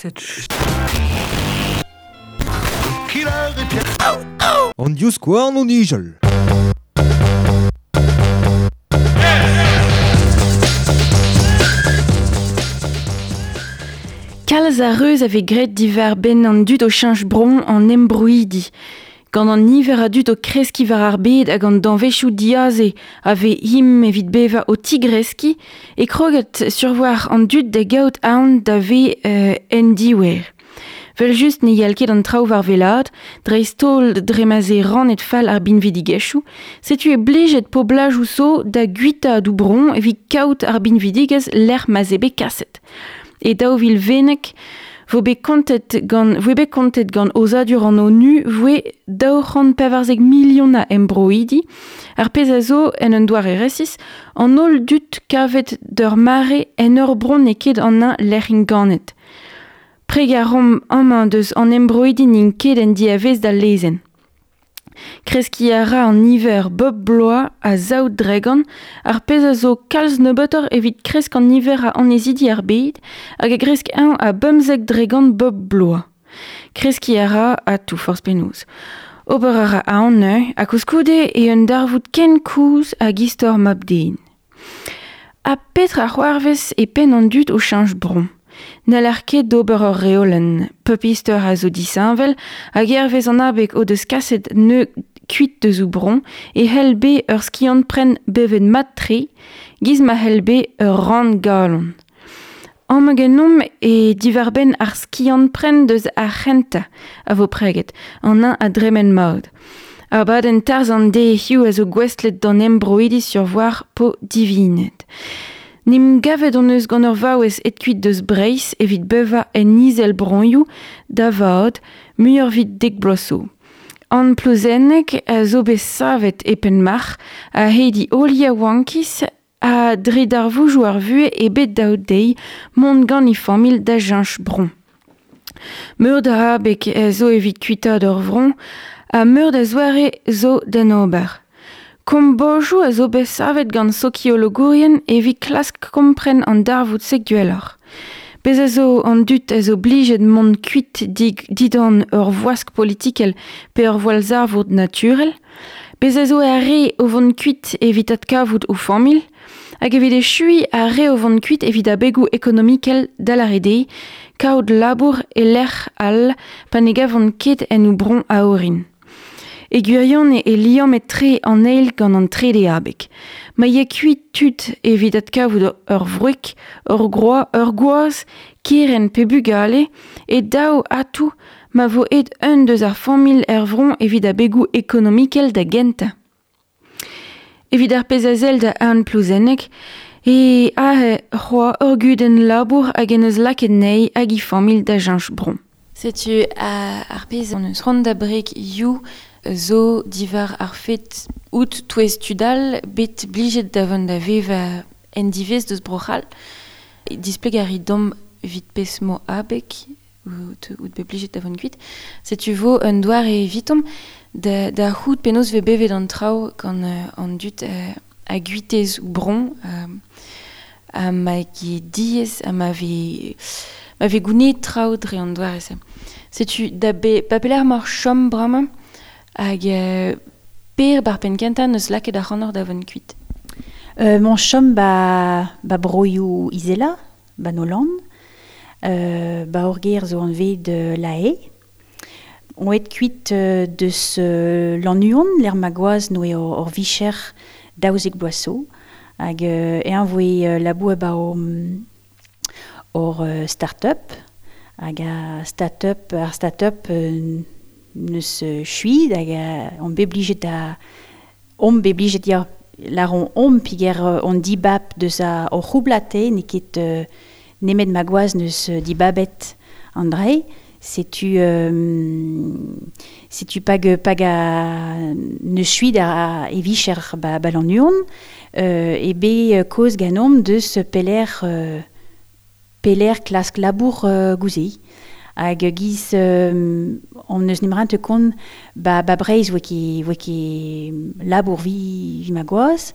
cette An divskouarn o nijal. Kalz a reuz a vez graet diwar-benn an dud o cheñch bro an embroidi. Gant an niver a dud o kreskiñ war ar bed hag an danvezioù diaze a vez him evit bevañ o tigreskiñ e kroget survoar an dud da gaout aon da vez en diouer. Vel-just ne yal ket an traoù war wellaat, dreist-holl dre ma 'z eo rannet fall ar binvidigezhioù, setu eo blijet poblajoù zo da guitaat o bro evit kaout ar binvidigezh lec'h ma 'z eo bet kaset. E 2020 vo bet kontet gant voe bet kontet gant aozadur an ONU voe 214 milion a embroidi, ar pezh a zo en un doare resis an holl dud kavet d'ur mare en ur bro n'eo ket an eñ lec'h int ganet. Preg a raomp amañ deus an embroidi n'int ket en diavaez d'al lezenn. Kreskiñ a ra an niver bep bloaz a zaou dregont, ar pezh a zo kalz nebeutoc'h evit kresk an niver a annezidi ar bed hag a gresk eñ a 15% bep bloaz. Kreskiñ a ra atav forzh penaos. Ober a ra aon neuze ha koulskoude eo un darvoud ken kozh hag istor mab-den. Ha petra c'hoarvez e penn an dud o cheñch bro? N'haller ket d'ober ur reolenn. Pep istor a zo disheñvel hag hervez an abeg o deus kaset neu kuit deus o bro e c'hell bet ur skiant-pren bevet mat-tre, giz ma c'hell bet ur rann-galon. Amañ ganeomp e diwar-benn ar skiant-pren deus ar c'hentañ a vo preget, an eñ a dremen mat. Abadenn tarzh an deiz hiziv a zo gouestlet d'an embroidi sur-voir po divinet. N'em gavet hon eus gant ur vaouez aet kuit deus Breizh evit bevañ en Izelbroioù da vat muioc'h evit dek bloaz zo. An Plouzenneg a zo bet savet e Penmarc'h a-hed he holl yaouankiz ha dre darvoudoù ar vuhez eo bet dav dezhi mont gant he familh da cheñch bro. Meur da abeg zo evit kuitaat ur vro ha meur da zoare zo d'en ober. Kombojoù a zo bet savet gant sokiologourien evit klask kompren an darvoud-se gwelloc'h. Bez a zo an dud a zo blijet mont kuit didan ur voask politikel pe ur gwallzarvoud naturel. Bez a zo ar re o vont kuit evit adkavout o familh hag evit echuiñ ar re o vont kuit evit abegoù ekonomikel da lâret eo kaout labour e lec'h all pa ne gavont ket en o bro a orin. E gwirionez e liammet-tre an eil gant an trede abeg. Ma ya kuit tud evit adkavout ur wreg, ur groaz, ur gwaz, kerent pe bugale, e dav atav ma vo aet un deus ar familh er vro evit abegoù ekonomikel da gentañ. Evit ar pezh a sell da Anne Plouzenneg e aze c'hoazh ur gudenn labour hag en deus lakaet anezhi hag he familh da cheñch bro. Setu ar pezh hon eus c'hoant da breg hiziv zo diwar ar fed out touez tud all bet blijet da vont da vevañ en diwezh deus Bro-C'hall. Displeg a rit deomp evit pezh 'mo abeg out out bet blijet da vont kuit. Setu vo un doare evitomp da, da c'hoût penaos vez bevet an traoù gant an dud a guitez ou bron ha ma ket diaes ha ma vez ma vez gounezet traoù dre an doare-se. Setu da be ba pelec'h emaoc'h chom bremañ hag per bar penn-kentañ n'eus lakaet ac'hanoc'h da vont kuit. M'on chom ba, ba broioù izelañ, ba Nolan. Ba hor gêr zo anvet La Haye. On aet kuit deus Lannuon, lec'h ma gwaz 'noe hor vicher 12 bloaz zo. Hag eñ voe labour ba hor start-up. Hag ar start-up, ar start-up neus chuit hag on bet blijet da omp bet blijet ya lâromp omp peger on dibab deus hor c'houblad eo n'eo ket nemet ma gwaz neus dibabet an dra-se. Setu setu pag pag a neus chuit a e vicher ba ba Lannuon eo bet kaoz ganeomp deus pelec'h pelec'h klask labour gouze. Hag giz on eus nemerañ kont ba ba Breizh 'voe ket 'voe ket labour vi vi ma gwaz.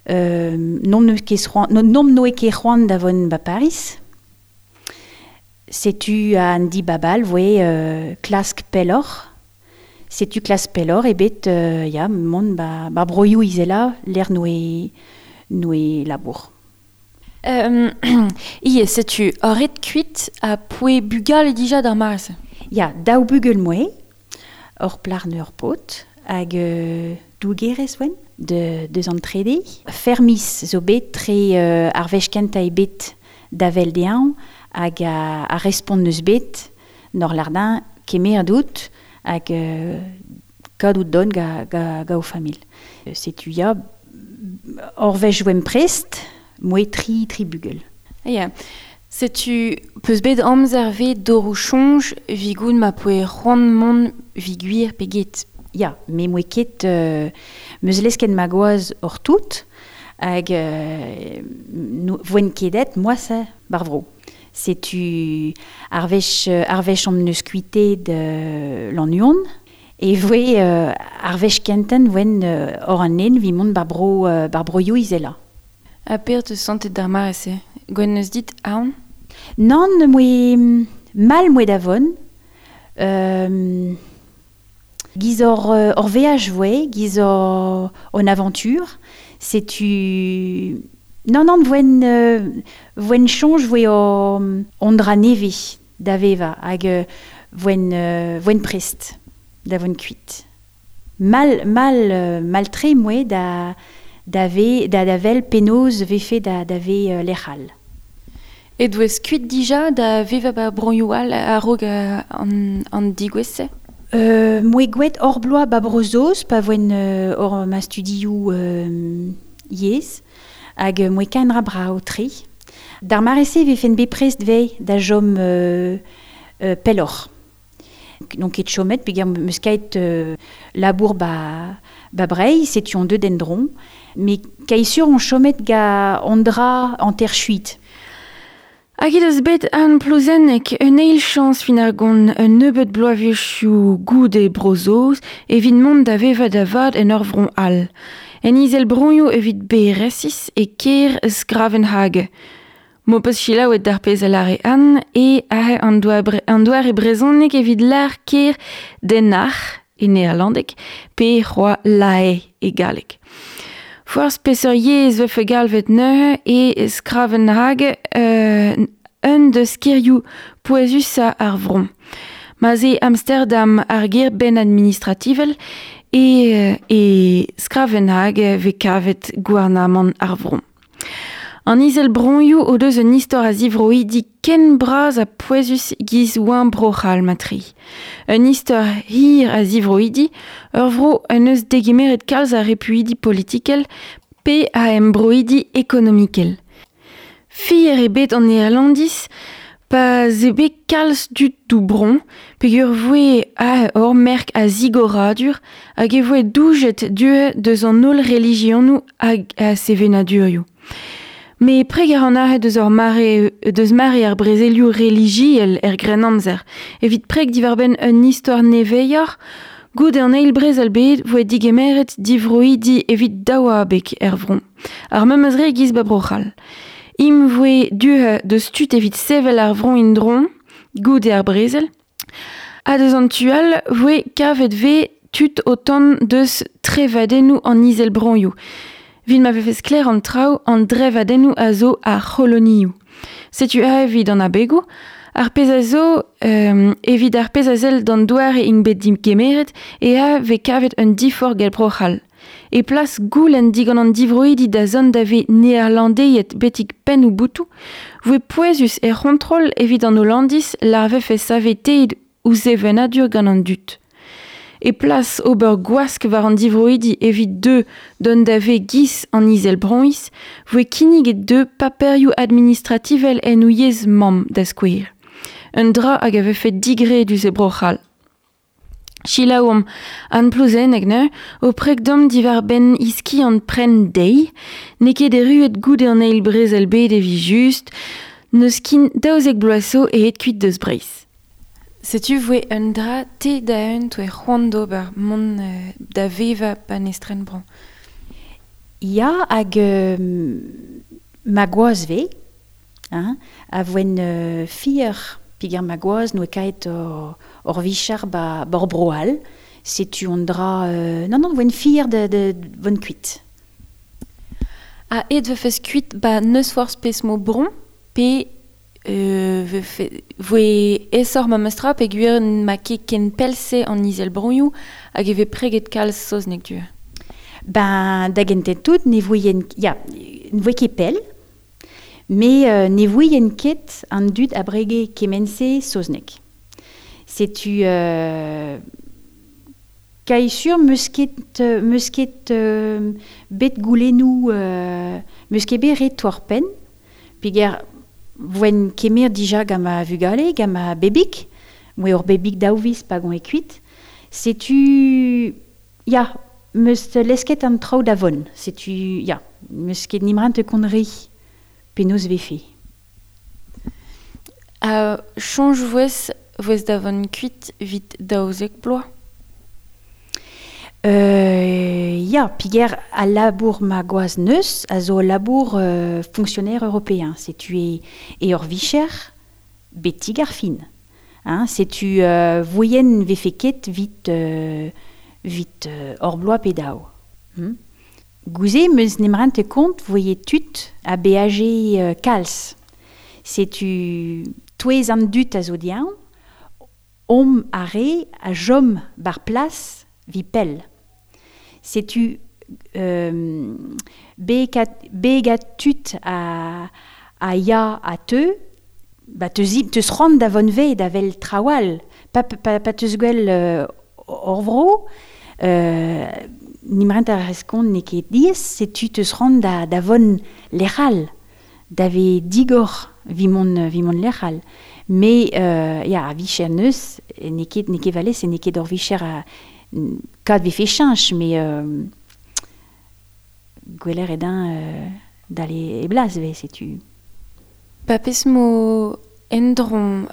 N'omp ket c'hoant n'omp noe ket c'hoant da vont ba Pariz. Setu an di babal voe klask pellor. Setu klask pellor ebet ya, mont ba broioù izela l'er noe labour. Ie, setu ret kuit a poe bugal dija d'ar mare-se. Ya, daou bugel moe, ur plar ur pot, hag dougerez oen, deus an trede. Fermis zo bet tre ar wech kentañ eo bet da vel dezhañ, hag a respont neus bet, nor lardin kemer dout, hag kadout don ga o famil. Setu ya, ur wech oen prest, moe tri bugel. Ya, setu peus bet amzer ve doroù soñj vigoun ma poe c'hoant mont vigwir pe get. Ya, me moe ket meus lesket ma gwaz hor tout, hag voen kedet moa se bar vro. Setu ar wech om neus kuitet l'an e voe ar wech kenten voen hor an en vi mont bar broioù izela. A per te santet d'ar mare-se? Gwen neus dit aon? Nann, moe mal moe davon. Giz hor veaj voe, giz hor on aventure. Setu... Non, voen chonj voe ondra neve da veva, hag voen prest da voen kuit. Mal tre moe da vel penoz vefe da ve lec'hal. E douez kuit dija da veva ba broioù all a-raok an digouez-se? Moe gwet hor bloaz ba brozoz, pa voen hor ma studioù yezh, hag moe kaenra brao tre. D'ar mare-se vefen bet prest vei da jom pelloc'h. Donc ket chomet, peogwir meus kaet labour ba Breizh, setu on deut endron, mais kaisur on chomet ga ondra an ter chuit. Hag he deus bet an plouzennek un eil chañs fin ar gont un nebeud bloavezhioù goude brozoz evit mont da veva da vat en ur vron all. En izel broioù evit beresis e kêr Sgravenhage. Mo peus chilaouet d'ar pezh a lare an e ahe an doare brezhoneg evit lar kêr Den Haag e neerlandeg pe c'hoa Lae e galleg. Forzh peseurt yezh vefe galvet neuze e Sgravenhage un deus kêrioù pouezusañ ar vron. Ma 'z eo Amsterdam ar gêr benn administrativel e Sgravenhage vez kavet gouarnamant ar vron. An izel broioù o deus un istor a zivroidi ken bras a pouezus giz oan bro-c'hall matri. Un istor hir a zivroidi, ur vro en eus degemeret kalz a repuidi politikel pe a embroidi ekonomikel. Fier eo bet an Nederlandiz pa ze bet kalz dud dou bron, peogwir voe a hor merk a zigoradur hag e voe doujet due deus an holl religionoù hag a sevenadurioù. Me preg ar an aret deus ur mare, deus mare ar brezelioù religiel er Grennamzer. Evit preg diwar-benn un istor neveioc'h, goude an eil brezel bet voe digemeret divroidi evit daouabeg er vron. Ar memes re giz ba Bro-C'hall. Im voe duhe deus tud evit sevel ar vron indron, goude ar brezel. Ha deus an tual voe kavet ve tud o tont deus trevadennoù an izel broioù. Vit ma vefe sklaer an traoù an drevadennoù a zo ar c'holonioù. Setu a evit an abegoù, ar pezh a zo evit ar pezh a sell d'an doare int bet digemeret e a vez kavet un diforc'h gant Bro-C'hall. E plas goulenn digant an divroidi da zont da vez neerlandeiet betek penn ou boutoù, voe pouezus er c'hontrol evit an Hollandiz lar vefe saveteet ouzh sevenadur gant an dud. E plas ober gwask war an divroidi evit deux dont da vez giz an izel broiz, voe kinniget deux paperioù administrativel en o yezh mamm da skouer. Un dra hag a vefe digredus e Bro-C'hall. Chilaouomp an plouzennek neuze, o preg dom diwar-benn iski an pren deiz, n'eo ket erruet goude an eil brezel bet evit just, n'eus kin 12 bloaz zo aet kuit deus Breizh. Setu voe un dra te da un toe c'hoant d'ober mont da veva pa n'estren bron. Ya, hag ma gwaz ve, hein, a voen fier Piger ma gwaz noe kaet or vichar ba, ba or bro all. Setu on dra... non, voen fier de von kuit. A et vefes kuit ba neus forz pes mo bron, pe voe esor ma mestra pe gwir ma ket ken pelse an izel bronioù hag e ve preget kalz saozneg du. Ben, da gentet tout, ne voien... Ya, ne voe ket pell, me ne voien ket an dud a brege kemense saozneg. Setu... Kai sur meus ket bet goulennou meus ket bet ret war pen, peger voen kemer dija gant ma vugale, gant ma bebik, moe ur bebik daouviz pa gant e kuit, setu, ya, meus lesket an traoù da von, setu, ya, meus ket nimrant konri penaos vefe. Chonj voez da von kuit vit daouzek bloaz? Ya, piger a labour ma gwaz neus a zo labour fonctionnaire européen. Setu e ur vicher betig ar fin. Hein, setu voien vefe ket vit ur bloaz pe daou. Gouze meus nemrant kont voye tut a BAG kalz. Setu touez an dut a zo diañ, om a re a jom bar plas vi pell. Setu begat tut a ya a teu, ba teus c'hoant da von ve da vel trawal, pa teus gwell ur vro, nimrent ar reskont ne ket diez, setu teus c'hoant da von lec'hal, da ve digor vi mont lec'hal. Me, ya, a vicher neus, ne ket valez, ne ket ur vicher a kad vefe cheñch, me gweler edin dale e blaz ve, setu. Pa pes mo endron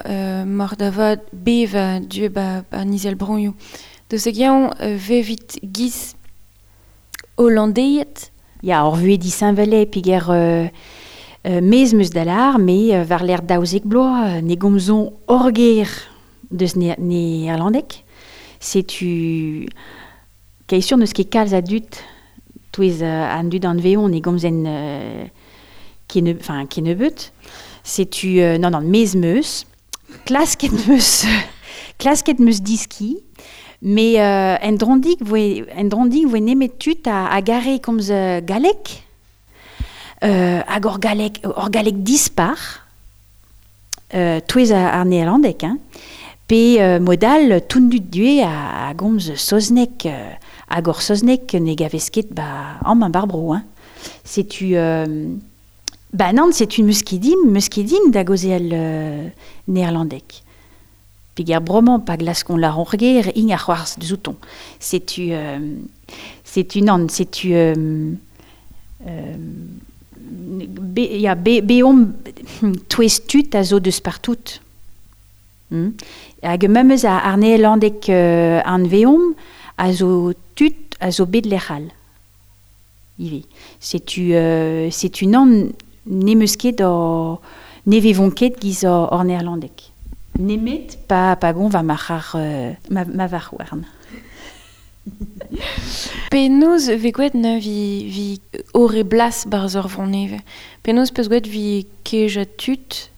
mor da vad beva du ba nizel bronioù. Deus egiañ vevit giz hollandeiet? Ya, ur vue disheñvele piger mez meus dalar, me war l'air daouzek bloaz, ne gomzon orger deus neerlandek. Setu kai sur neus ket kalz a dut touez an dud an veon ne gomzen kenebeut. Setu non mez meus klasket meus diski, me en drondig voe nemet tut a gare komz galek, hag ur galek dispar, touez ar neerlandek, hein. Pe modal toundut due a gomz saozneg, hag ur saozneg ne gavez ket ba am an barbro, hein. Setu ba nan, setu meus ket dim da gozeal neerlandek. Peger bromañ pa glaskon la ronrger ing ar c'hoarz zouton. Setu nan, setu be, ya, be om touez tut a zo deus partout. Hag memes a ar neerlandek an veom a zo tut a zo bet lec'hal. Ive. Setu nan ne meus ket o ne vevon ket giz or neerlandek. Nemet pa gon va mac'har ma var warn. Penaos ve gwet ne vi ore blas barz ur vroneve. Penaos peus gwet vi keja tut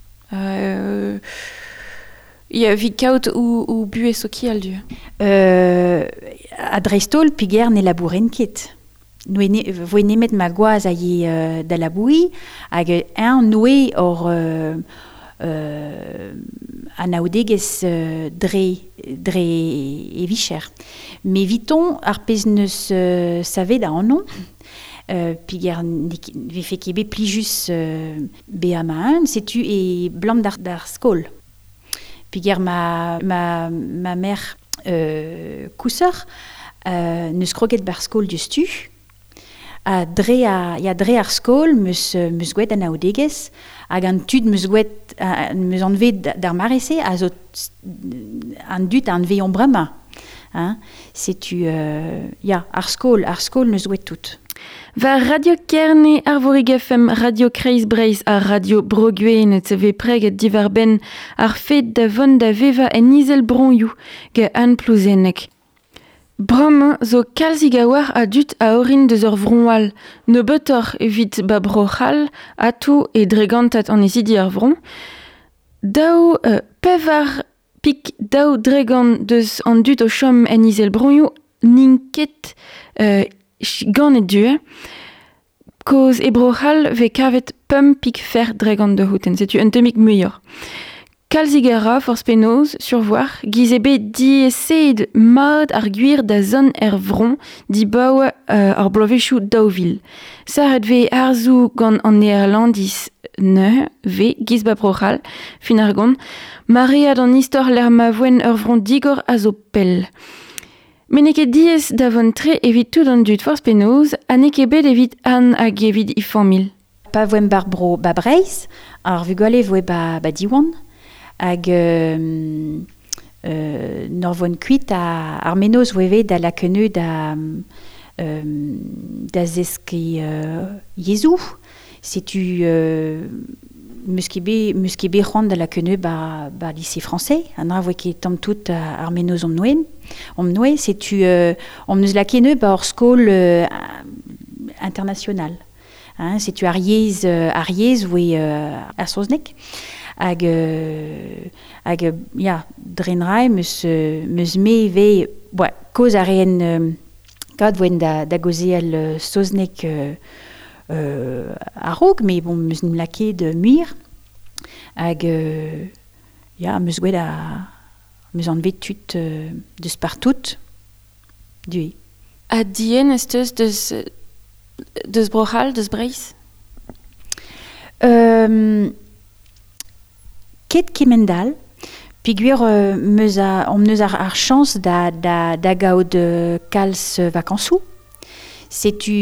ya, vi kaout ou buez sokial du. A dreistol piger ne labouren ket. Voe nemet ma gwaz a ye da laboui, hag un noe or anaoudegez dre e vicher. Me viton ar pez neus savet da annon, piger vefe ket bet plijus be a ma un, setu e blam d'ar skol. Piger ma mère kouseur neus kroget bar skol diouzhtu, a dre ar skol meus gwet anaoudegez, hag an tud meus gwet meus anvet d'ar marese a zo an dud an veon bremañ. Hein? Setu ya, ar skol neus gwet tout. War Radio Kerne, Arvorig FM, Radio Kreiz Breizh ha Radio Bro-Gwened vez preget diwar benn ar fed da vont da vevañ en Izelbroioù gant Anne Plouzenneg. Bremañ zo kalzik a-walc'h a dud a orin deus ur vro all, nebeutoc'h evit ba Bro-C'hall atoù e dregantad annezidi ar vro. Daou pevar pik daou dregont deus an dud o chom en Izelbroioù n'int ket ganet du. Koz e Bro-C'hall vez kavet pemp pik fer dregont de houten, setu un tammig muioc'h. Kalzik a ra forzh penaos, survoar, giz eo bet diaesaet mat ar gwir da zont er vro dibaoe ar bloavezhioù 2000. Sarret vez harzoù gant an Neerlandiz neuze vez giz ba Bro-C'hall, fin ar gont, maread an istor lec'h ma voent ur vro digor a zo pell. Met n'eo ket diaes da vont tre evit tout an dud forzh penaos ha n'eo ket bet evit Anne hag evit he familh. Pa voemp bar bro ba Breizh, ar vugale voe ba, ba Diwan, hag nor voen kuit a, ar menoz voe vet da lakeneu da, da zeskiñ yezhoù. Setu meus ket bet, meus ket bet c'hoant da lakeneu ba, ba lycée français. An dra voe ket tamm tout ar menoz omp noen. Omp noe, setu omp neus lakeneu ba ur skol international. Hein, setu ar yezh, ar yezh voe ar saozneg. Hag, hag ya, dre nrae meus, meus me ivez, boa, koz a reen kad voen da, da gaozeal saozneg a-raok, met bon, meus n'em lakaet muioc'h. Hag ya, meus gwet a, meus anvet tud deus partout, du. Ha dien ez teus deus, deus Bro-C'hall, deus Breizh? Ket kemend-all, peogwir meus a, omp neus ar, ar chañs da, da, da gaout kalz vakañsoù. Setu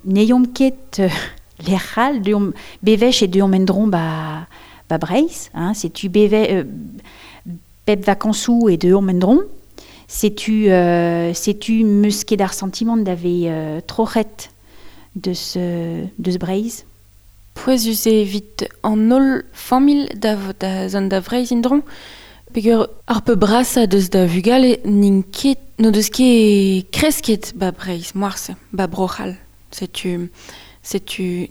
n'eomp ket lec'h all, deomp bewech e deomp en-dro ba, ba Breizh, hein, setu beve, bep vakañsoù e deomp en-dro. Setu, setu meus ket ar santimant da vez troc'het deus, deus Breizh. Pouezus eo evit an holl familh da, da zont da Vreizh en-dro, peogwir ar pep brasañ deus da vugale n'int ket, n'o deus ket kresket ba Breizh, moarse, ba Bro-C'hall. Setu, setu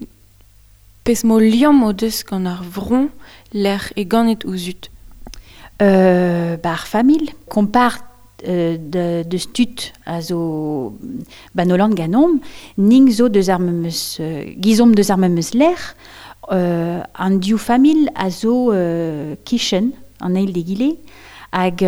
pezh mo liamm o deus gant ar vro lec'h e ganet o zud. Ba ar familh, kompar de, deus tud a zo ba Nolan ganeomp, ning zo deus ar memes, gizomp deus ar memes lec'h, an div familh a zo kichen an eil d'egile, hag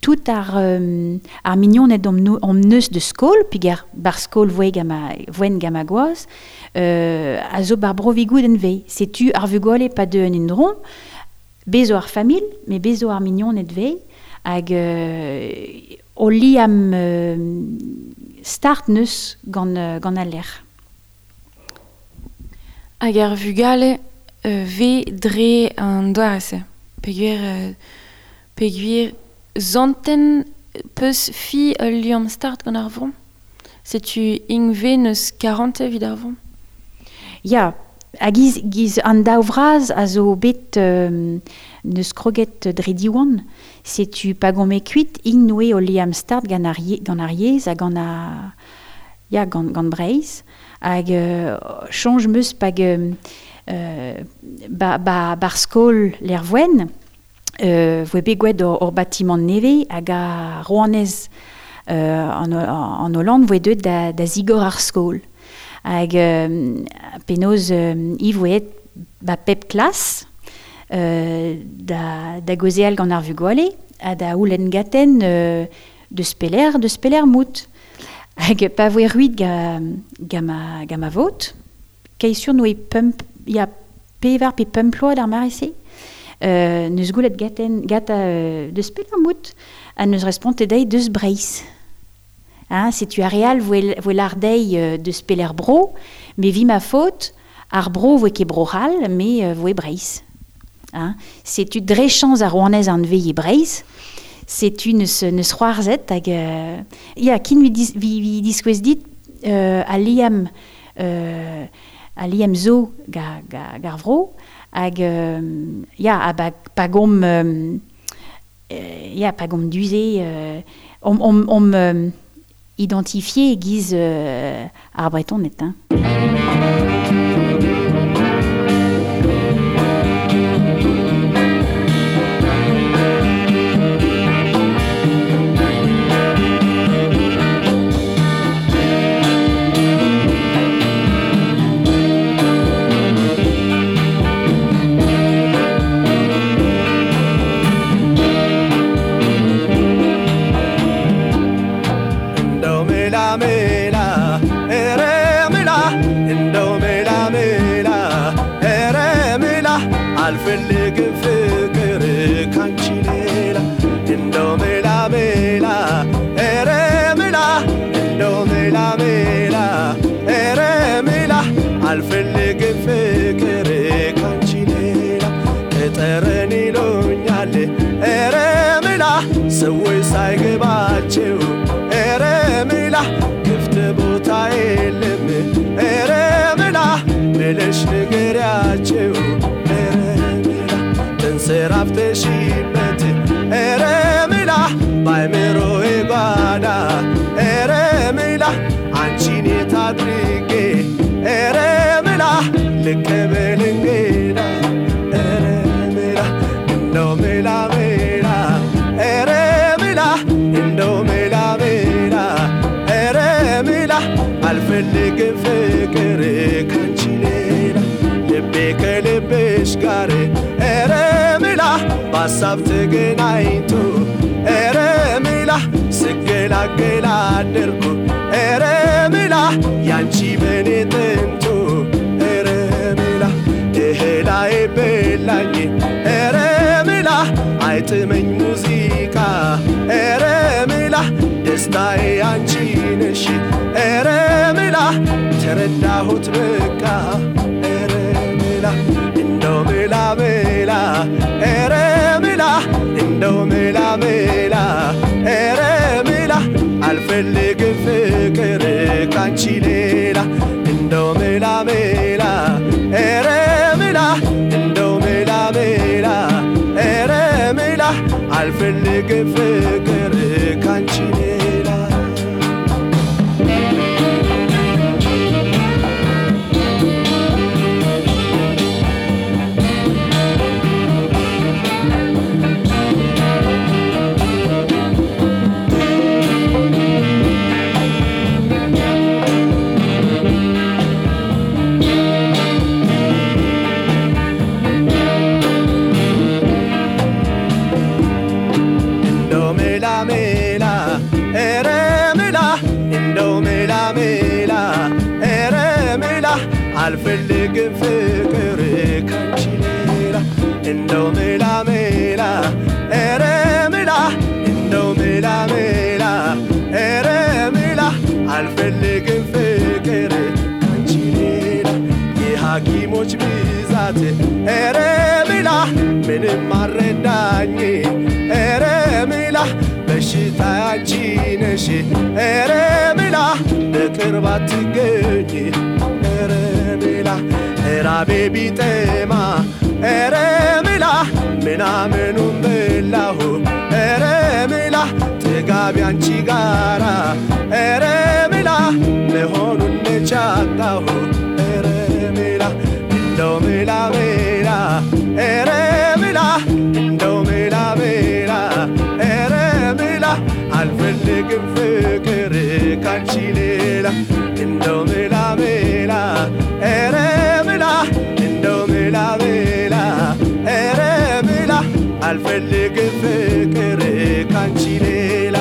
tout ar, ar mignoned omp, omp neus de skol, peogwir bar skol voe gant voen gant ma gwaz, a zo bar bro Vigoud en vez. Setu ar vugale pa deu en endro, bez zo ar familh, met bez zo ar mignoned vez, hag o liamm start neus gant, gant al lec'h. Hag ar vugale vez dre an doare-se. Peogwir, peogwir zanten peus fi ul liamm start gant ar vro. Setu int vez neus karantez evit ar vro. Ya, ha giz, giz an daou vras a zo bet neus kroget dre Diwan. Setu pa gome kuit int noe o liamm start gant ar, gant ar yezh ha gant ar, ya, gant, gant Breizh. Hag soñj 'meus pag ba, ba, bar skol Lervoen, voe bet gwet ur batimant nevez hag a rouanez an, an Hollande voe deuet da, da zigor ar skol. Hag penaos i voe ba pep klas da, da gaozeal gant ar vugale ha da houlenn gaten deus pelec'h, deus pelec'h mout. Hag pa voe ruit ga, ga ma, ga ma vot, kei sur noe pemp, ya pevar pe pemp ploaz d'ar mare-se, neus goulet gaten, gata deus pelec'h mout, ha neus respontet dezhi deus Breizh. Hein, setu ar re all voe, voe lar dezhi deus pelec'h bro, me vi ma faot, ar bro voe ket Bro-C'hall, me voe Breizh. Hein, setu dre chañs ar rouanez an veilh e Breizh, setu neus, neus c'hoarzhet hag ya, kin vi, dis, vi, vi diskouez dit a liam zo gar vro hag ya a pa gom ya pa gom duze om identifié giz ar bretoned hein. አልፈልግም ፍቅር ካንቺ ሌላ እንደው ሜላ ሜላ ኧረ ሜላ እንደው ሜላ ሜላ ኧረ ሜላ አልፈልግም ፍቅር ካንቺ ሌላ ቅጠረን ይሉኛል ኧረ ሜላ ሰዎች ሳይገባቸው ኧረ ሜላ ክፍት ቦታ የለም ኧረ ሜላ ብለሽ ንገሪያቸው ተንሰራፍተሽበት ኧረ ሜላ ባይምሮዬ ጓዳ ኧረ ሜላ አንቺን የት አድርጌ ኧረ ሜላ ልቀበል እንግዳ ኧረ ሜላ እንደው ሜላ ሜላ ኧረ ሜላ እንደው ሜላ ሜላ ኧረ ሜላ አልፈልግም ፍቅር ካንቺ ሌላ ልቤ ከልብሽ ጋር ኧረ ሜላ በሀሳብ ተገናኝቶ ኧረ ሜላ ስገላገል አደርኩ ኧረ ሜላ ያንቺ በኔ ጥንቱ ኧረ ሜላ እህላዬ በላኝ ኧረ ሜላ አይጥመኝ ሙዚቃ ኧረ ሜላ ደስታዬ አንቺ ነሽ ኧረ ሜላ ተረዳሁት በቃ ኧረ ሜላ እንደው ሜላ ሜላ ኧረ ሜላ እንደው ሜላ ሜላ ኧረ ሜላ አልፈልግም ፍቅር ካንቺ ሌላ እንደው ሜላ ሜላ ኧረ ሜላ እንደው ሜላ ሜላ ኧረ ሜላ አልፈልግም ፍቅር ካንቺ ሌላ አልፈልግም ፍቅር ካንቺ ሌላ እንደው ሜላ ሜላ ኧረ ሜላ እንደው ሜላ ሜላ ኧረ ሜላ አልፈልግም ፍቅር ካንቺ ሌላ የሐኪሞች ብዛት ኧረ ሜላ ምንም አልረዳኝ ኧረ ሜላ በሽታ አንቺ ነሽ ኧረ ሜላ በቅርብ አትገኝ ኧረ ሜላ ራቤ ቢጠማ ኧረ ሜላ ምናምኑን በላሁ ኧረ ሜላ ጥጋቢ አንቺ ጋራ ኧረ ሜላ መሆኑን መቻጣሁ ኧረ ሜላ እንደው ሜላ ሜላ ኧረ ሜላ እንደው ሜላ ሜላ ኧረ ሜላ አልፈልግም ፍቅር ካንቺ ሌላ እንደው ሜላ ሜላ ኧረ ሜላ እንደው ሜላ ሜላ ኧረ ሜላ አልፈልግም ፍቅር ካንቺ ሌላ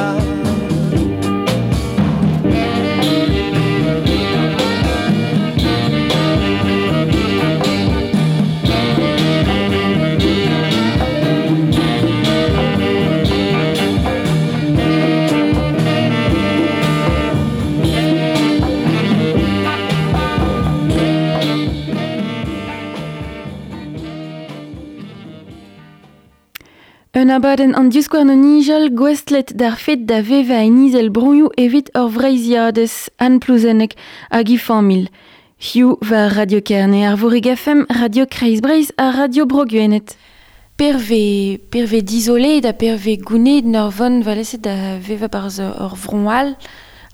Un abadenn an divskouarn o nijal gouestlet d'ar fed da vevañ en izel broioù evit ur Vreizhiadez Anne Plouzenneg hag he familh. Hiziv war Radio Kerne, Arvorig FM, Radio Kreiz Breizh ha Radio Bro Gwened. Perve, perve dizolet ha perve gouned n'ur vont valese da vevañ barzh ur vro all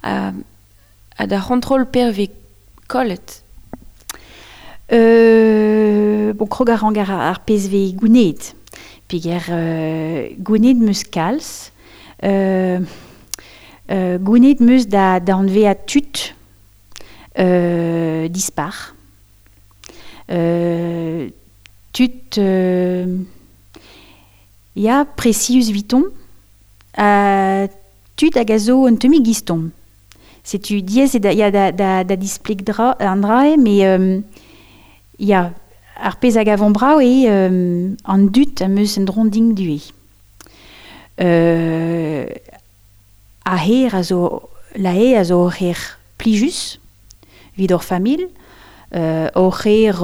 ha da c'hontrol perve kollet. Bon, krog a ran ar pezh vez gouned. Peger gouned meus kalz, gouned meus da anveañ tud dispar. Tud ya presius viton, tud hag a zo un tammig giston. Setu diaes eo da, ya, da, da, da displeg dra, an dra eo, met ya, ar pezh a gavan brav eo an dud am eus en dron din du eo. A her a zo, la e a zo ur her plijus, evit hor familh, ur her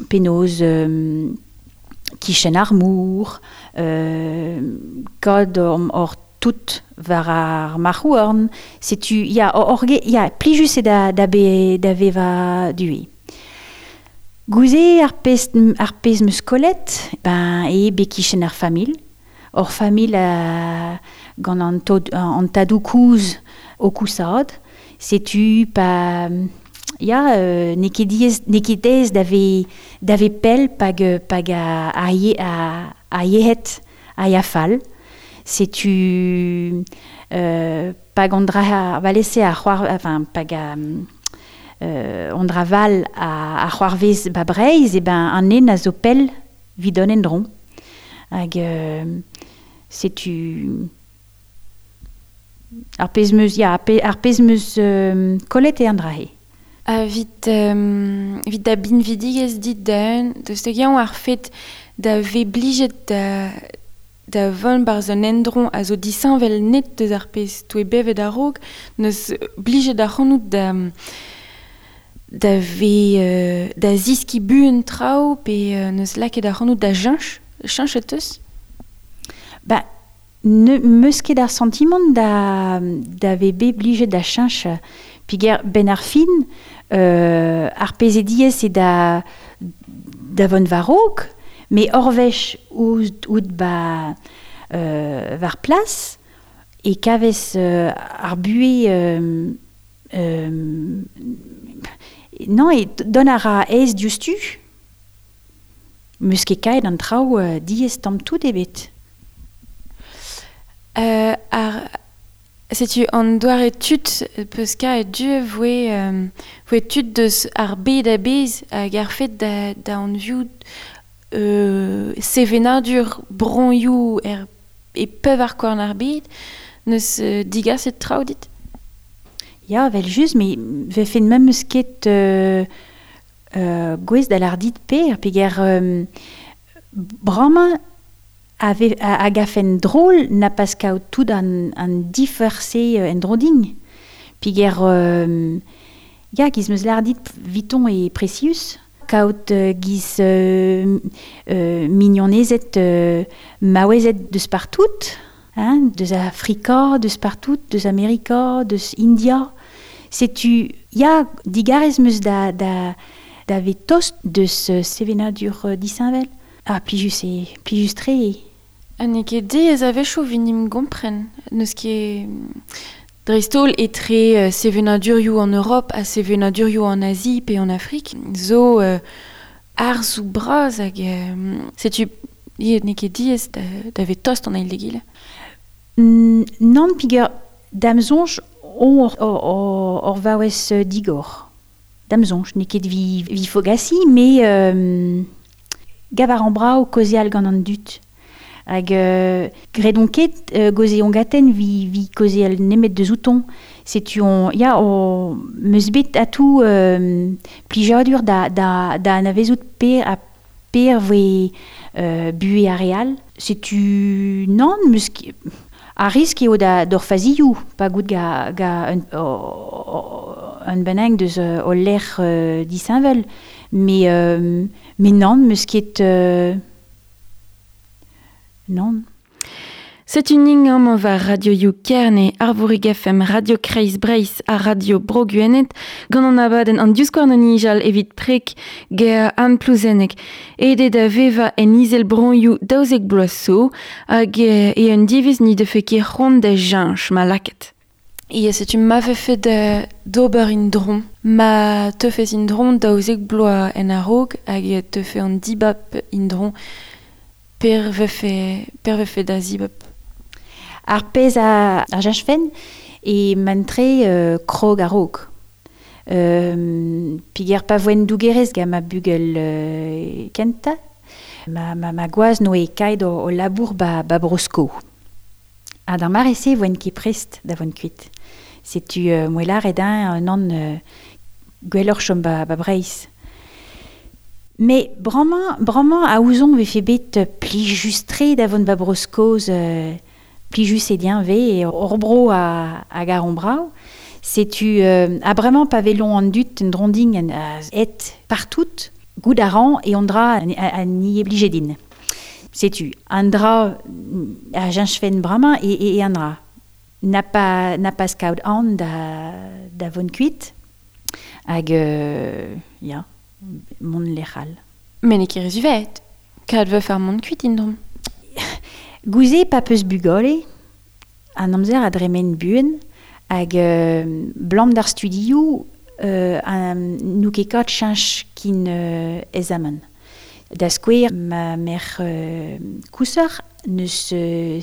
penaos kichen ar mor, kad hor tout war ar marc'houarn, setu, ya, hor ya, plijus eo da, da, be, da vevañ du eo. Gouze ar pezh, ar pezh meus kollet, ben, eo bet kichen ar familh. Hor familh gant an, tod, an tadoù kouzh o kousad. Setu pa, ya, n'eo ket diaes, n'eo ket aes da ve, da ve pell pag, pag a, a, ye, a, a yec'hed a ya fall. Setu pag an dra valese a c'hoar, enfin, pag a, an dra val a c'hoarvez ba Breizh, e ben an nen a zo pell 'vit an endro. Hag setu ar pezh meus, ya, ar pezh meus kollet eo an dra-se. Ha vit, vit da binvidigezh dit da-un, deus hag-eñ ar fed da ve blijet da, da vont barzh an endro a zo disheñvel net deus ar pezh 'toe bevet a-raok, neus blijet ac'hanout da da ve da ziskiñ buan traoù pe neus lakaet ac'hanout da cheñch, cheñchet teus? Ba, ne meus ket ar santimant da, da ve bet blijet da cheñch. Peogwir benn ar fin, ar pezh eo diaes eo da, da vont war-raok, met ur wech out ba war plas e kavez ar buhez non, e dont a ra aes diouzhtu. Meus ket kaet an traoù diaes tamm tout ebet. Ar, setu an doare tud peus kaet du voe, voe tud deus ar bed a-bezh hag ar fed da, da anviout sevenadur broioù er, e pevar korn ar bed, neus digaset traoù dit? Ya, evel-just, met vefen memes ket gouest da lâr dit per, peger bremañ a, ve, a, a gafen drol na pas kaout tout an, an difer-se en-dro din. Peger ya, giz meus lâr dit viton e presius, kaout giz mignonezed maouezed deus partout, hein, deus Afrika, deus partout, deus Amerika, deus India. Setu, ya, digarez meus da, da, da ve tost deus sevenadur disheñvel. Ah, plijus eo, plijus-tre eo. Ha n'eo ket diaes a-wechoù 'vit 'n em gompren. N'eus ket dreist-holl etre sevenadurioù an Europ ha sevenadurioù an Azi pe an Afrik zo arzoù bras hag setu n'eo ket diaes da, da ve tost an eil d'egile. Nann, peogwir da'm soñj on ur vaouez digor. Da'm soñj, n'eo ket vi, vi fogasiñ, met gav a ran brav kaozeal gant an dud. Hag graet on ket gaozeon gaten vi, vi kaozeal nemet deus outon. Setu on, ya, o, meus bet atou plijadur da, da, da anavezout per ha per voe buhez ar re all. Setu nann, meus ket, ar risk eo da d'hor fazioù, pa gout ga, ga un, un bennak deus ul lec'h disheñvel. Met, met nann, meus ket Non. Setu ning amañ war Radio You Kerne, Arvorig FM, Radio Kreiz Breizh ha Radio Bro Gwened, gant an abadenn an divskouarn o nijal evit preg ger Anne Plouzenneg. Aet eo da vevañ en izel broioù 12 bloaz zo, hag e un diviz ni defe ket c'hoant da cheñch ma lakaet. Ya, setu ma vefe d'ober in-dro. Ma teufes in-dro 12 bloaz en a-raok hag e teufe an dibab in-dro per vefe da zibab. Ar pezh a cheñchfen e mantre krog a-raok. Peogwir pa voen dougerez gant ma bugel kentañ, ma gwaz noe kaet o labour ba Bro-Sko. Ha d'ar mare-se voen ket prest da vont kuit. Setu moelar edañ nan gwelloc'h chom ba Breizh. Mais bremañ a ouzon vefe bet plijus-tre da vont ba Bro-Skos plijus e din ve hor bro a garon brav. Setu ha bremañ pa velon an dud un dronding en et partout, goût a ran e on dra a ni oblijedin. Setu an dra a cheñchfen bremañ e an dra. N'a pas skaout an da vont kuit hag ya mont lec'hal. Mais n'eo ket rezuvet. Kad veuf ar mont kuit indrom. Gouze pa peus bugale, an amzer a dremen buan, hag blam d'ar studioù nou ket kat cheñch kin ezaman. Da skouer ma merc'h kouseur neus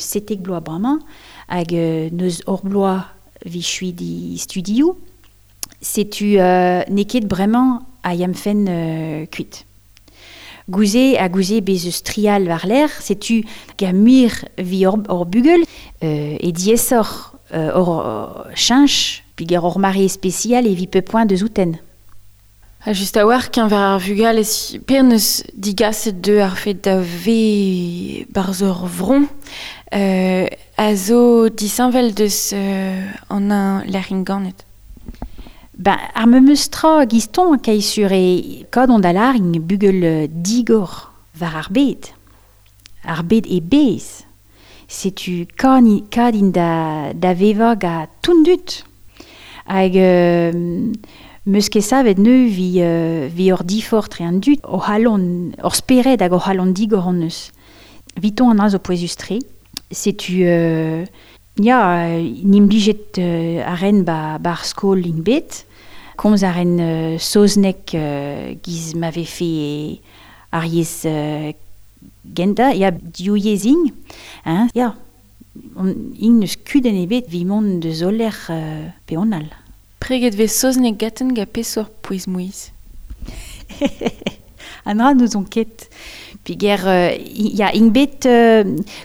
setek bloaz bremañ hag neus hor bloaz vi di studioù, setu n'eo ket bremañ a yamfen kuit. Gouze a gouze bez eus trial war l'air, setu ga muir vi hor bugel, e diesoc'h hor cheñch, peogwir hor mare spesial e vi pe poent deus outen. Ha just a-walc'h keñver ar vugale per neus digaset deu ar fet da ve barzh ur vron, a zo disheñvel deus an un lec'h ganet. Ben, ar memeus tra giston kai sur e kad on da ing bugel digor war ar bed. Ar bed e bez. Setu kad in da veva ga tundut. Hag meus ket savet neu vi ur difor tre an dud o halon, ur spered hag o halon digor an eus. Viton an a zo pouezus-tre. Setu ya, nimblijet a ren ba ar skol ing bet. Komz a ren saozneg giz ma vefe ar yezh genta, ya div yezh ing, hein, ya, ing neus kudenn ebet vi mont deus oller pe on all. Preget vez saozneg gaten ga peseurt pouez-mouezh. An dra n'ouzon ket. Peogwir ya ing bet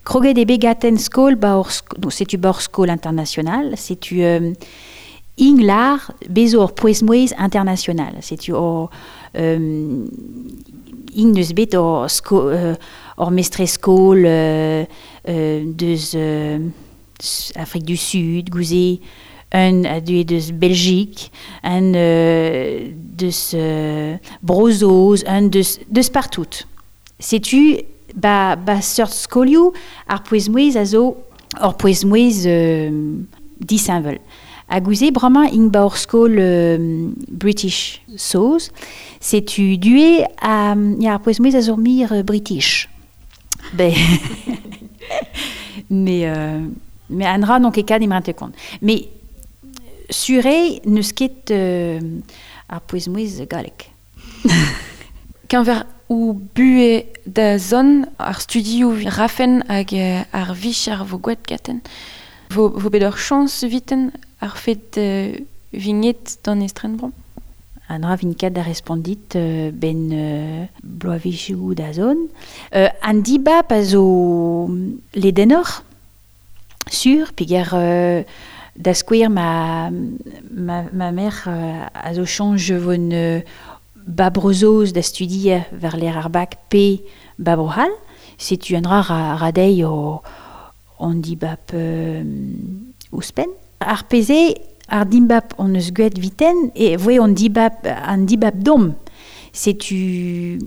kroget eo bet gaten skol ba hor no, setu ba hor skol international, setu ing lar bezo hor pouez-mouezh international. Setu hor ing neus bet hor hor mestre skol deus Afrique du Sud, gouze un a deuet deus Belgique, un deus Bro-Saoz, un deus partout. Setu ba seurt skolioù ar pouez-mouezh a zo hor pouez-mouezh disheñvel. Ha gouze bremañ ing ba hor skol British Saoz, setu due a ya ar pouez-mouezh a zo mir British. Ben mais an dra n'on ket kat imrante kont. Mais suré neus ket ar pouez-mouezh gallek. Keñver ou bue da zon ar studioù rafen hag ar vicher vo gwet gaten. Vo bet ur chañs viten ar fet vignet d'an estrenbron. An dra vin kat da respondit ben bloavezhioù da zon. An dibab a zo ledenoc'h, sur, peogwir da skouer ma merc'h a zo chañj von ba Bro-Saoz da studier war l'air ar bak pe ba Bro-C'hall. Setu an dra ra dezhi on dibab ouzhpenn. Ar pezh ar dibab on eus gwet viten e voe on dibab an dibab dom. Setu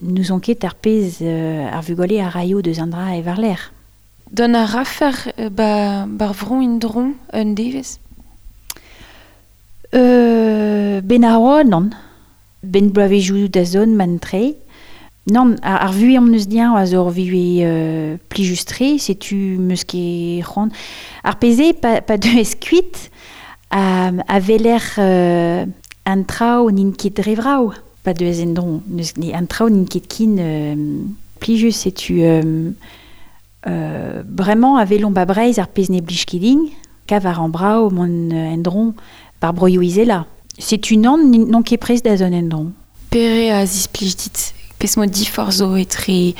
Nous on ket ar pezh ar vugale a raio deus an dra e war-lerc'h. Dont a rafer ba, bar vro en-dro un devezh? Ben ar oa, nann. Ben bloavezhioù da zont man tre. Nann, ar vuhez am eus diañ a zo ur vuhez plijus-tre, setu 'meus ket c'hoant. Ar pezh eo, pa deuez kuit, a weler an traoù n'int ket dre vrav. Pa deuez en-dro, n'eus an traoù n'int ket ken plijus, setu bremañ a welomp ba Breizh ar pezh ne blij ket din, kav a ran brav mont en-dro bar broioù izelañ. Setu nann, n'on ket prest da zont en-dro. Pere a zisplij dit? Pezh mod diforc'h zo etre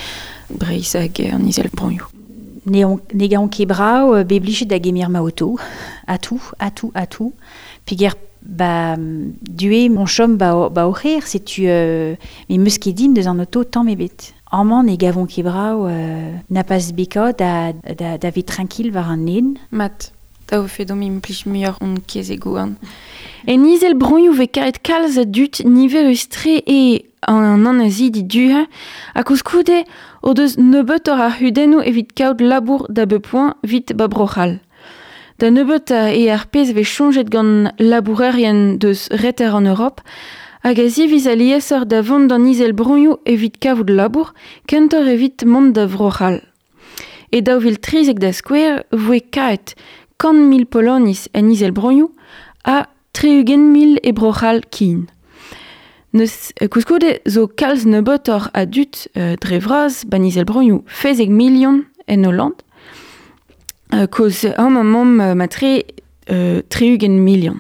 Breizh hag an Izelvroioù? Ne gaon ket brav bet blijet da gemer ma oto, atou, atou, atou. Peger ba due mon chom ba o c'her, setu me 'meus ket din deus an oto tamm ebet. Amañ ne gavon ket brav na pas bekaat da vet tranquil war an nen. Mat, da vefe deomp implij muioc'h hon kezeg-houarn. En Izelvroioù vez karet kalz a dud niverus-tre eo an annezidi du-ha, ha koulskoude o deus nebeutoc'h a c'hudennoù evit kaout labour da bep poent evit ba Bro-C'hall. Da nebeutañ eo ar pezh vez soñjet gant labourerien deus reter an Europ, hag a ziviz aliesoc'h da vont d'an Izelvroioù evit kavout labour, kentoc'h evit mont da Vro-C'hall. E 2013 da skouer voe kaet 100 000 Poloniz en Izelvroioù ha 60 000 e Bro-C'hall ken. Neus koulskoude zo kalz nebeutoc'h a dud dre vras ban Izelvroioù 16 milion en Holland. Koz amañ 'maomp matre 60 milion.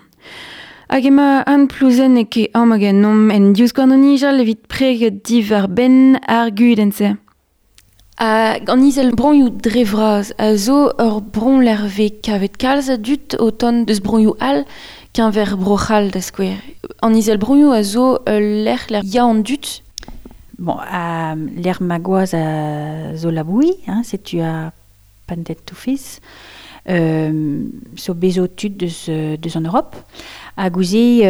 Hag ema Anne Plouzenneg e amañ ganeomp en Divskouarn o Nijal evit preget diwar-benn ar gudenn-se. An Izelvroioù dre vras a zo ur bro lec'h vez kavet kalz a dud o tont deus broioù all keñver Bro-C'hall da skouer. An Izelvroioù a zo ul lec'h lec'h ya an dud. Bon, lec'h ma gwaz a zo laboui, hein, setu a pantet tout fils. So bezo tud deus an Europe. Ha gouze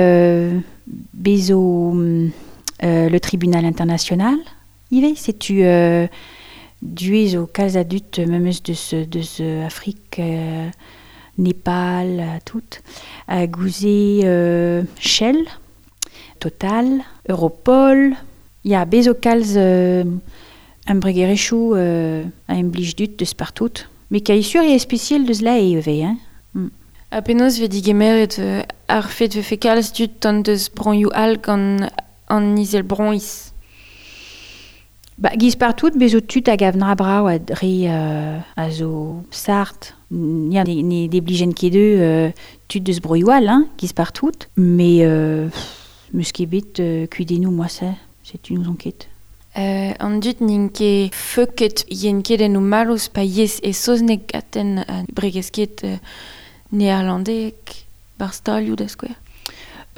bezo le tribunal international ivez, setu due zo kalz a dud memes deus Afrique, Nepal, tout. Ha gouze Shell, Total, Europol, ya bezo kalz embregerezhioù a implij dud deus partout. Mais kaisur eo spesial deus La Haye ivez, hein. Ha penaos vez digemeret ar fet vefe kalz dud tont deus broioù all gant an Izelvroiz? Ba, giz partout, bezo tud a gav dra brav a dre a zo sart. Ya, ne deblijen ket eu tud deus broioù all, hein, giz partout. Mais meus ket bet kudennoù moi se, setu n'ouzon ket. An dud n'int ket feuket yen ket en o mallozh pa yez e saozneg gaten a bregez ket neerlandeg bar stalioù da skouer.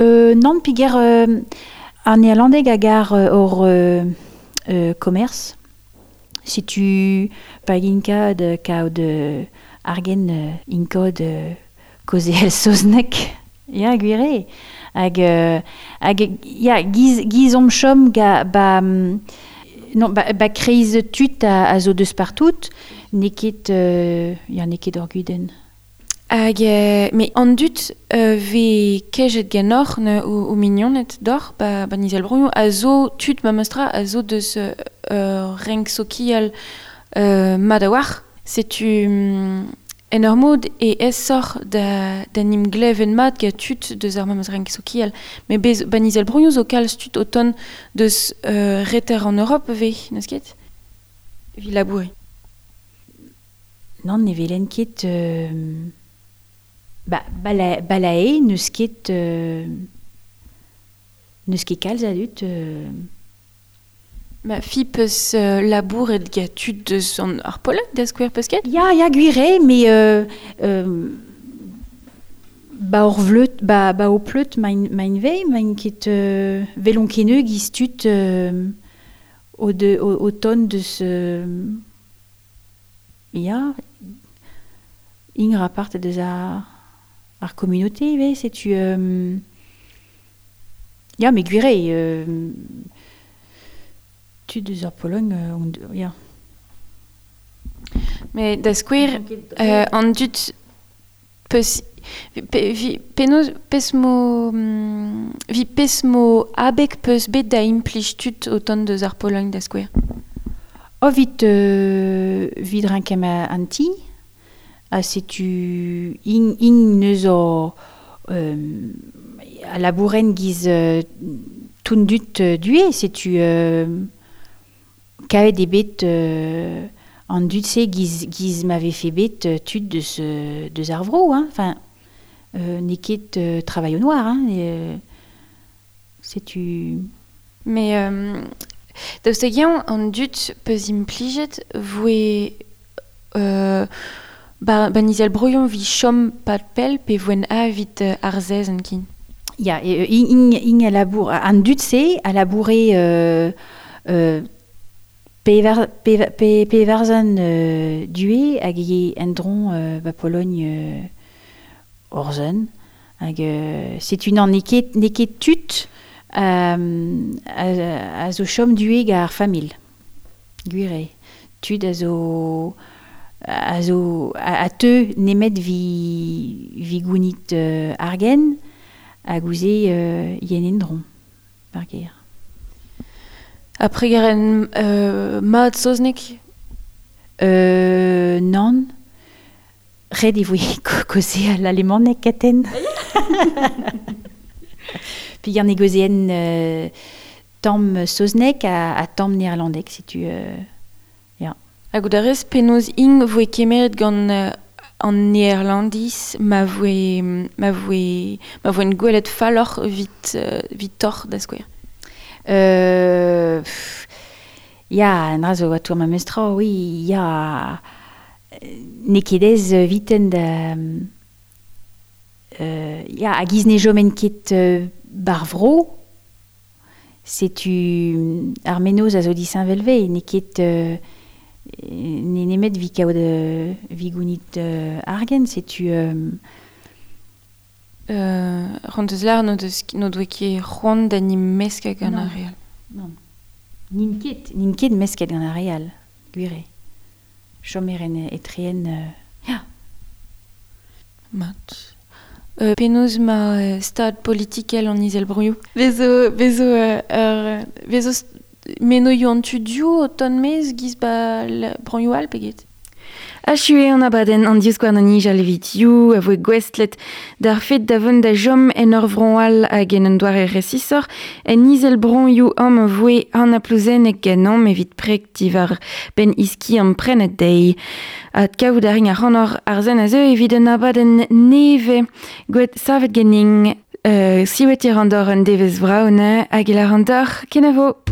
Nann, peger ar neerlandeg a gar hor commerce. Setu pa ginka de kaout argen inkod kaozeal saozneg. Ya, gwir eo. Hag ya, giz omp chom ga, ba, non, ba kreiz tud a zo deus partout, n'eo ket, ya, n'eo ket ur gudenn. Hag, me an dud vez kejet ganeoc'h ne, o mignoned deoc'h ba 'n Izelvroioù a zo tud memestra a zo deus renk sokial mat a-walc'h. Setu en ur mod e aesoc'h da 'n em glevet mat gant tud deus ar memes renk sokial. Met bez ba 'n Izelvroioù zo kalz tud o tont deus reter an Europ ivez, n'eus ket? Evit labourer. Nann, ne welen ket ba, ba La Haye n'eus ket kalz a dud Ma fi peus labouret gant tud deus an ar Polak da skouer peus ket? Ya, gwir eo, mais ba ur vleud, ba o pleut main vez, main ket velon ket giz tud o tont deus ya, ing rapart deus ar communauté ivez, setu ya, mais gwir eo, Tud eus ar Pologn, on, ya. Mais da skouer, an dud peus pe, vi, penaos pes mo vi pes mo abeg peus bet da implij tud o tont deus ar Pologn da skouer? O vit, vit rinkem an ti, ha setu ing neus o a labouren giz toun dut due, setu kavet e bet an dud se giz ma vefe bet tud deus ar vro, hein. Enfin, n'eo ket travail au noir, hein, et, setu... Mais daoust hag-eñ an dud peus implijet voe ba nizel broion vi chom pad pell pe voen a vit ar zez an kin? Ya, e, ing a labour, an dud se a laboure pevarzan due hag e endron ba Pologne orzen. Hag setu nan n'eo ket tud a zo chom due gant ar familh. Gwir eo. Tud a zo a teu nemet vi gounit argen hag ouze yen endron par ger. Après garen mat soznek? Non. Red e voe koze al alemanek katen. Puis gant e gozeen tamm soznek ha tamm néerlandek, setu... ya. Hag out a rez penaos ing voe kemeret gant an Néerlandis ma voe gwelet falloc'h vit torr da skouer. Ya, an dra zo a tour ma mestra, oui, ya... N'eo ket ez viten da... ya, hag iz ne jomen ket bar vro, setu ar menoz a zo disheñvelve, n'eo ket... ne nemet vi kaout vi gounit argen, setu... Ront eus lar no doe ket c'hoant da ni mesket gant ar real. Non. Nin ket mesket gant ar real, gwir eo. Chomeren etreen... Ya. Mat. Penaos ma stad politikel an Izelbroioù. Vezo menoioù an tudioù o ton mez giz ba broioù all peget. Achu eo an abadenn an divskouarn an nijal evit you a voe gwestlet d'ar fet da vont da jom en ur vron all hag en un doare resisor en izel broioù am voe an aplouzennek ganom evit prek divar ben iski an prenet deiz. At kaout a ring ar c'hanor ar zen a zeu evit un abadenn neve gwet savet gening siwet ir an dor un devez vraune hag il ar an dor kenavo.